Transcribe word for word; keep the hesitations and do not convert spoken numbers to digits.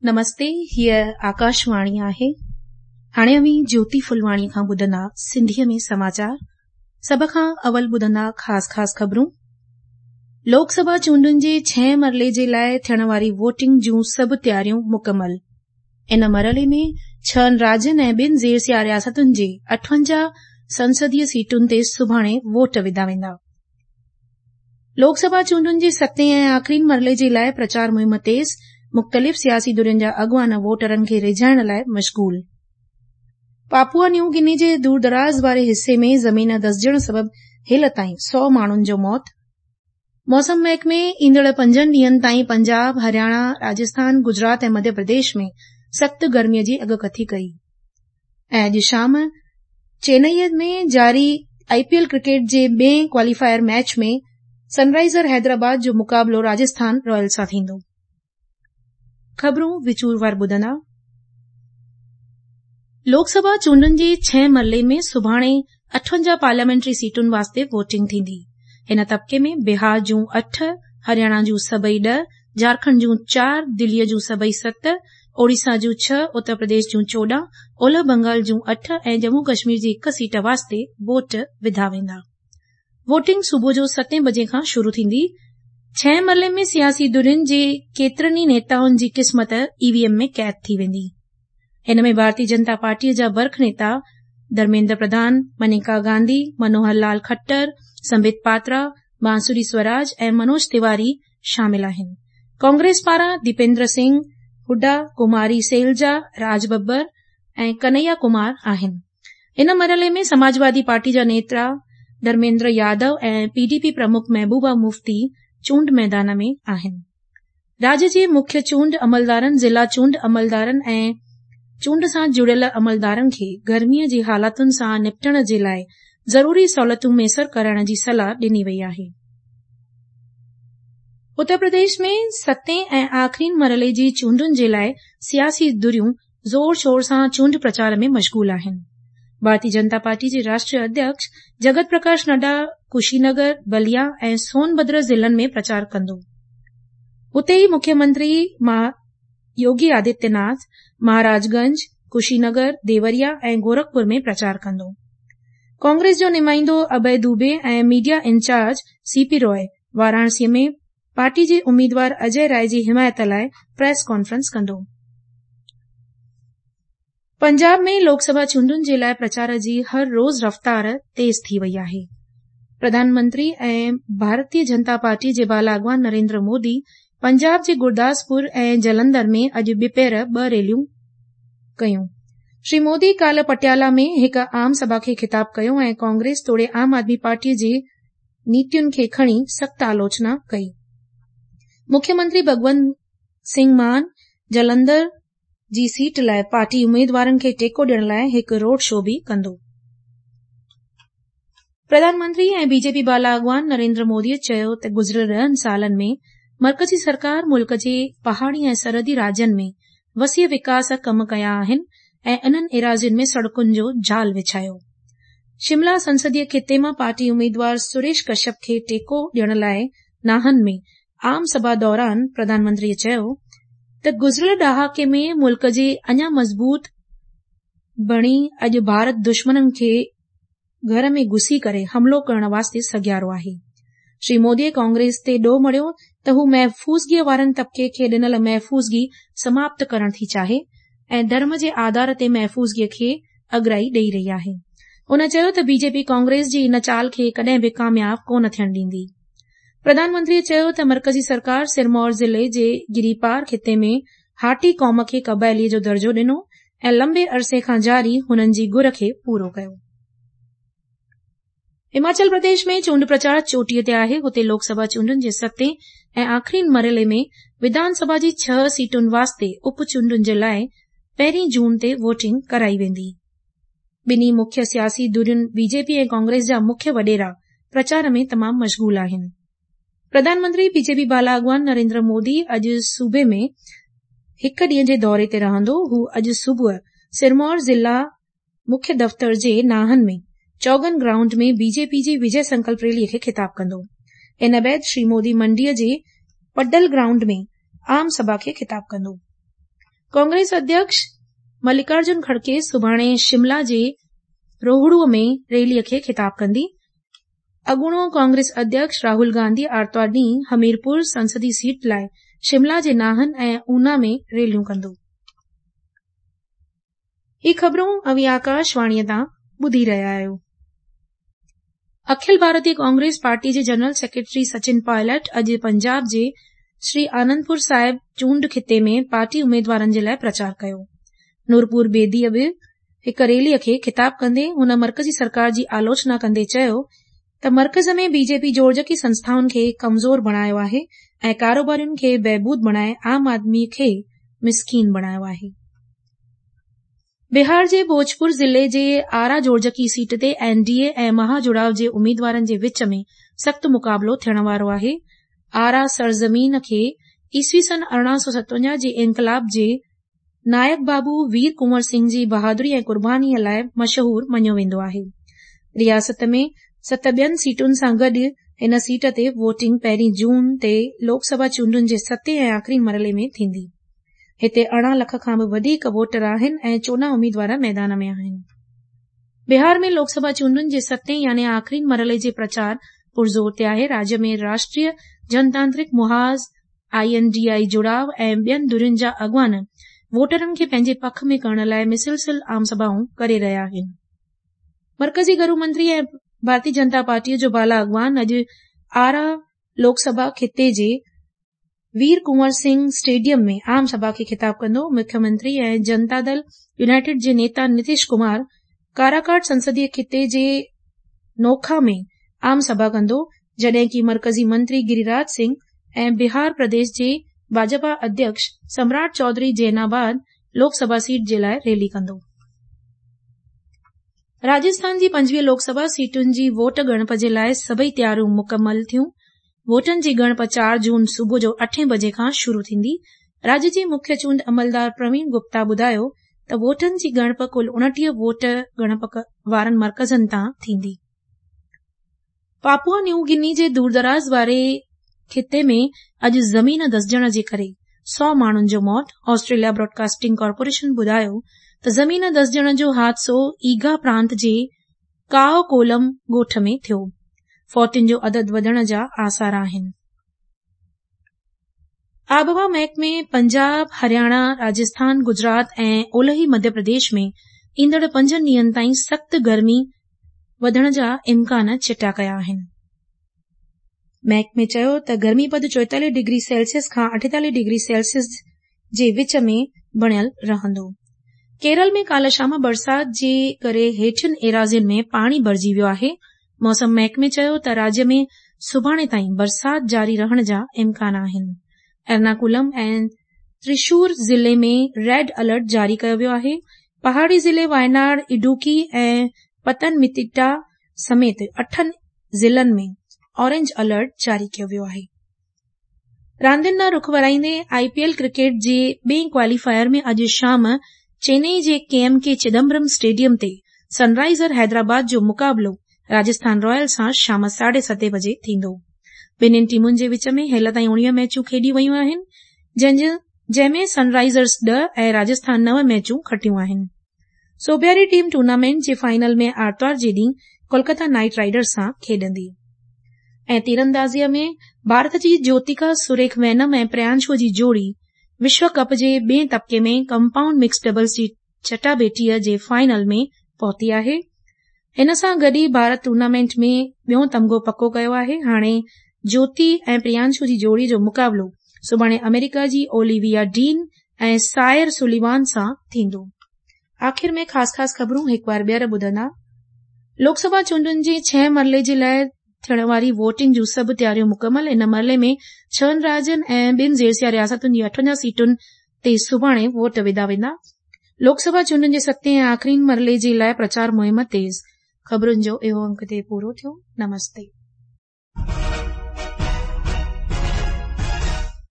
نمستي، هيء آڪاشواڻي آهي. هاڻي اوهين جيوتي ڦلواڻيءَ کان ٻڌندا سنڌيءَ ۾ سماچار. سڀ کان اول ٻڌندا خاص خاص خبرون. لوڪ سڀا چونڊن جي ڇهين مرحلي جي لاءِ ٿيڻ واري ووٽنگ جون سڀ تياريون مڪمل. ان مرحلي ۾ ڇهن راجين ۽ ٻن زير رياستن جي اٺونجاهه سنسديه سيٽن تي سڀاڻي ووٽ وڌا ويندا. لوڪ سڀا چونڊن جي ستين ۽ آخرين مرحلي جي لاءِ پرچار مهم تيز. مختلف سياسي ڌرين جا اڳواڻ ووٽرن کي ريجهائڻ لاءِ مشغول. پاپوا نيو گني جي دور دراز واري حصي ۾ زمين دسجڻ سبب هيل تائين سؤ ماڻهن جو موت. موسم محڪمي ايندڙ پنجن ڏينهن تائين پنجاب، هرياڻا، راجسٿان، گجرات ۽ مڌيه پرديش ۾ سخت گرميءَ جي اڳڪٿي ڪئي. ۽ اڄ شام چنائيءَ ۾ جاري آءِ پي ايل ڪرڪيٽ جي ٻئين ڪواليفائر ميچ ۾ سن رائيزر حيدرآباد جو مقابلو راجسٿان رائلز سان ٿيندو. خبرون وچوروار ٻڌندا. لوڪ سڀا چونڊن جي ڇهين مرحلي ۾ سڀاڻي اٺونجاهه پارليامينٽري سيٽن واسطي ووٽنگ ٿيندي. هن طبقي ۾ بهار جون اٺ، هرياڻا جون سڀئي ڏهه، جهارکنڊ جون چار، دليءَ جون سڀئي ست، اوڙيسا جون ڇهه، اتر پرديش جون چوڏهن، اولهه بنگال جون اٺ ۽ ڄمون ڪشمير جي هڪ سيٽ واسطي ووٽ وڌا ويندا. ووٽنگ صبح جو ستين بجي کان شروع ٿيندي. ڇهين مرحلي ۾ سياسي ڌرين جي ڪيترن ئي نيتائن جي قسمت اي وي ايم ۾ قيد ٿي ويندي. هن ۾ ڀارتيه جنتا پارٽيءَ جا برک نيتا ڌرميندر پرڌان، منيڪا گانڌي، منوهر لال کٽر، سمبت پاترا، بانسري سوراج ۽ منوج تيواري شامل آهن. ڪانگريس پاران ديپيندر سنگهه هوڊا، ڪماري سيلجا، راج ببر ۽ ڪنهيا ڪمار آهن. ان مرحلي ۾ سماجوادي پارٽي جا نيتا Dharmendra Yadav ۽ P D P پرمک محبوبه مفتي چونڊ ميدان ۾ آهن. راجيه جي مکيه چونڊ عملدارن، ضلع چونڊ عملدارن ۽ چونڊ سان جڙيل عملدارن کي گرميءَ جي حالاتن سان نپٽڻ جي لاءِ ضروري سهولتون ميسر ڪرائڻ جي صلاح ڏني وئي آهي. اتر پرديش ۾ ستين ۽ آخرين مرحلي جي چونڊن جي لاءِ سياسي ڌريون زور شور سان چونڊ پرچار ۾ مشغول آهن. ڀارتيه جنتا پارٽي جي راشٽريه اڌيڪش جگت پرڪاش نڊا ڪشي نگر، بليا ۽ سونڀدر ضلعن ۾ پرچار ڪندو. اتي ئي مکيه منتري يوگي آدتيه ناٿ مهاراج گنج، ڪشي نگر، ديوريا ۽ گورکپور ۾ پرچار ڪندو. ڪانگريس جو نمائندو اڀي دوبي ۽ media incharge C P Roy وارانسيءَ ۾ party جي اميدوار اجي راءِ جي حمايت لاءِ پريس ڪانفرنس ڪندو. پنجاب ۾ لوڪ سڀا چونڊن جي لاءِ پرچار جي هر روز رفتار تيز ٿي وئي آهي. پرڌان منتري ۽ ڀارتيه جنتا پارٽي جي بالا اڳواڻ نريندر مودي پنجاب جي گرداسپور ۽ جلنڌر ۾ اڄ ٻپهر ٻه ريليون ڪيون. شري مودي ڪالهه پٽيالا ۾ هڪ عام سڀا کي خطاب ڪيو ۽ ڪانگريس توڙي عام آدمي پارٽيءَ جي نيتين کي کڻي سخت آلوچنا ڪئي. مکيه منتري ڀڳونت سنگهه مان جلنڌر جي سيٽ لاءِ پارٽي اميدوارن کي ٽيڪو ڏيڻ لاءِ هڪ روڊ شو به ڪندو. پرڌان منتري ۽ بي جي پي بالا اڳواڻ نريندر موديءَ چيو ته گذريل ڏهن سالن ۾ مرڪزي سرڪار ملڪ جي پهاڙي ۽ سرحدي راجين ۾ وسيع وڪاس ڪم ڪيا آهن ۽ انهن ايراضين ۾ سڙڪن جو جال وڇايو. شملا سنسديه خطي مان پارٽي اميدوار سريش ڪشيپ کي ٽيڪو ڏيڻ لاءِ ناهن ۾ عام سڀا دوران پرڌان منتريءَ چيو ته گذريل ڏهاڪي ۾ ملڪ جي اڃا مضبوط بڻي اڄ ڀارت دشمنن کي گهر ۾ گهسي ڪري حملو ڪرڻ واسطي سگهيارو آهي. شري موديءَ ڪانگريس تي ڏوهه مڙهيو ته هو محفوظگيءَ وارن طبقي کي ڏنل محفوظگي سماپت ڪرڻ ٿي چاهي ۽ ڌرم جي آڌار تي محفوظگيءَ کي اڳرائي ڏيئي رهي آهي. هن چيو ته بي جي پي ڪانگريس جي ان چال کي ڪڏهن به ڪامياب ڪونه ٿيڻ ڏيندي. پرڌان منتريءَ چيو ته مرڪزي سرڪار سرمور ضلعي جي گريپار خطي ۾ هاٽي قوم کي قبائليءَ جو درجو ڏنو ۽ لمبي عرصي کان جاري هنن جي گهر کي پورو ڪيو. هماچل پرديش ۾ چونڊ پرچار چوٽيءَ تي آهي. هتي لوڪ سڀا چونڊن جي ستين ۽ آخرين مرحلي ۾ وڌان سڀا جي ڇهه سيٽن واسطي اپ چونڊن جي لاءِ پهرين جون تي ووٽنگ ڪرائي ويندي. ٻنهي مکيه سياسي ڌرين بي جي پي ۽ ڪانگريس جا مکيه وڏيرا پرچار ۾ تمام مشغول آهن. پرڌان منتري بي جي پي بالا اڳواڻ نريندر مودي اڄ صوبي ۾ هڪ ڏينهن جي دوري تي رهندو. هو اڄ صبح سرمور ضلع مکيه دفتر جي ناهن ۾ چوگن گرائونڊ ۾ بي جي پي جي وجي سنڪلپ ريليءَ کي خطاب ڪندو. ان بعد شري مودي منڊيءَ جي پڊل گرائونڊ ۾ عام سڀا کي خطاب ڪندو. ڪانگريس اڌيڪش ملڪارجن کڙگي سڀاڻي شملا جي روهڙوءَ ۾ ريليءَ کي خطاب ڪندي. اڳوڻو ڪانگريس اڌيڪش راهول گانڌي آرتوار ڏينهن هميرپور سنسدي سيٽ لاءِ شملا جي ناهن ۽ اونا ۾ ريليون ڪندو. هي خبرون اوهين آڪاشواڻيءَ تان ٻڌي رهيا آهيو. اکل ڀارتيه ڪانگريس پارٽي جي جنرل سيڪريٽري سچن پائلٽ اڄ پنجاب جي شري آنندپور صاحب چونڊ خطي ۾ پارٽي اميدوارن جي لاءِ پرچار ڪيو. نورپور بيديءَ به هڪ ريليءَ کي خطاب ڪندي هن مرڪزي سرڪار جي آلوچنا ڪندي چيو ته مرڪز ۾ بي جي پي جوڙجڪي سنسٿائن کي ڪمزور بڻايو آهي ۽ ڪاروبارين کي بهبود بڻائي عام آدمي کي مسڪين بڻايو آهي. بهار جي ڀوجپور ضلعي جي آرا جوڙجڪي سيٽ تي اين ڊي اي ۽ مهاجڙاءُ جي اميدوارن جي وچ ۾ سخت مقابلو ٿيڻ وارو آهي. آرا سرزمين کي عيسوي سن ارڙهن سؤ ستونجاهه جي انقلاب جي نائڪ بابو وير ڪنور سنگهه جي بهادري ۽ قربانيءَ لاءِ مشهور مڃيو ويندو آهي. رياست ۾ ست ٻين سيٽن سان گڏ هن سيٽ تي ووٽنگ پهرين جون تي لوڪ سڀا چونڊن جي ستين ۽ آخري مرحلي ۾ ٿيندي. هتي ارڙهن لک کان به وڌيڪ ووٽر آهن ۽ چوڏهن اميدوار ميدان ۾ آهن. بهار ۾ لوڪ سڀا چونڊن جي ستين يعني آخري مرحلي جي پرچار پرزور تي آهي. راجيه ۾ راشٽريه جنتانترڪ محاذ، I N D I جڙاءُ ۽ ٻين ڌرين جا اڳواڻ ووٽرن کي پنهنجي پک ۾ ڪرڻ لاءِ مسلسل عام سڀائون ڪري رهيا آهن. مرڪزي گهرو منتري ۽ ڀارتيه جنتا پارٽيءَ جو بالا اڳواڻ اڄ آرا لوڪ سڀا خطي جي وير ڪنور سنگهه اسٽيڊيم ۾ عام سڀا کي خطاب ڪندو. مکيه منتري ۽ جنتا دل يونائيٽيڊ جي نيتا نتيش ڪمار ڪاراڪاٽ سنسديه خطي جي نوکا ۾ عام سڀا ڪندو، جڏهن ڪه مرڪزي منتري گريراج سنگهه ۽ بهار پرديش جي ڀاجپا اڌيڪش سمراٽ چوڌري جيناباد لوڪ سڀا سيٽ جي لاءِ ريلي ڪندو. راجسٿان جي پنجويهه لوڪ سڀا سيٽن جي ووٽ ڳڻپ جي لاءِ سڀئي تياريون مڪمل ٿيون. ووٽن جي ڳڻپ چار جون صبح جو اٺين بجي کان شروع ٿيندي. راجيه جي مکيه چونڊ عملدار پروين گپتا ٻڌايو ته ووٽن جي ڳڻپ ڪل اڻٽيهه ووٽ ڳڻپ وارن مرڪزن تان ٿيندي. پاپوا نيو گني جي دوردراز واري خطي ۾ اڄ زمين ڌسجڻ جي ڪري سؤ ماڻهن جو موت. آسٽريليا براڊڪاسٽنگ ڪارپوريشن ٻڌايو ته زمين ڌسجڻ جو حادثو ايگا پرانت جي ڪائو ڪولم ڳوٺ ۾ ٿيو. فوتين جو عدد وڌڻ جا آثار آهن. آبهوا محڪمي پنجاب، هرياڻا، راجسٿان، گجرات ۽ اولهي مڌيه پرديش ۾ ايندڙ پنجن ڏينهن تائين سخت گرمي وڌڻ جا امڪان چٽا ڪيا آهن. محڪمي چيو ته گرمي پد چوئيتاليهه ڊگري سيلسيس کان اٺيتاليهه ڊگري سيلسيس جي وچ ۾ بڻيل رهندو. ڪيرل ۾ ڪالهه شام برسات جي ڪري هيٺين ايراضين ۾ پاڻي ڀرجي ويو آهي. موسم محڪمي چيو ته راجيه ۾ سڀاڻي تائين برسات جاري رهڻ جا امڪان آهن. ايرناڪولم ۽ ترشور ضلعي ۾ ريڊ الرٽ جاري ڪيو ويو آهي. پهاڙي ضلعي وايناڙ، اڊوڪي ۽ پتنمتٽا سميت اٺن ضلعن ۾ اورينج الرٽ جاري ڪيو ويو آهي. راندين ڏانهن رخ ورائيندي I P L cricket جي ٻئي ڪواليفائر ۾ اڄ شام چينئي جي K M K Chidambaram stadium تي سن رائيزر حيدرآباد جو مقابلو راجسٿان رائل سان شام ساڍي ستين بجي ٿيندو. ٻنهين ٽيمن جي وچ ۾ هيل تائين اڻويهه ميچون کيڏيون ويون آهن، جنهن ۾ سن رائيزرز ڏهه ۽ راجسٿان نو ميچون کٽيون آهن. سوڀياري ٽيم ٽورنامينٽ جي فائنل ۾ آرتوار جي ڏينهن ڪولڪتا نائيٽ رائيڊرز سان کيڏندي. ۽ تيراندازيءَ ۾ ڀارت جي جيوتيڪا سريک وينم ۽ پريانشو جي جوڙي وشو ڪپ جي ٻئي طبقي ۾ ڪمپائونڊ مڪس ڊبلز جي چٽاڀيٽيءَ جي فائنل ۾ پهتي آهي. هن سان گڏ ئي ڀارت ٽورنامينٽ ۾ ٻيون تمغو پڪو ڪيو آهي. هاڻي جيوتي ۽ پريانشو جي جوڙي جو مقابلو سڀاڻي آمريڪا جي اوليويا ڊين ۽ سائر سليوان سان ٿيندو. آخر ۾ خاص خاص خبرون هڪ بار ٻيهر ٻڌندا. لوڪ سڀا چونڊن جي ڇهين مرحلي جي لاءِ ٿيڻ واري ووٽنگ جون سڀ تياريون مڪمل. ان مرحلي ۾ ڇهن راجين ۽ ٻن زيرسيا رياستن جي اٺونجاهه سيٽن تي سڀاڻي ووٽ وڌا ويندا. لوڪ سڀا چونڊن جي ستين ۽ آخري مرحلي جي لاءِ پرچار مهم تيز. خبرن جو اهو انڪ هتي پورو ٿيو. نمستي.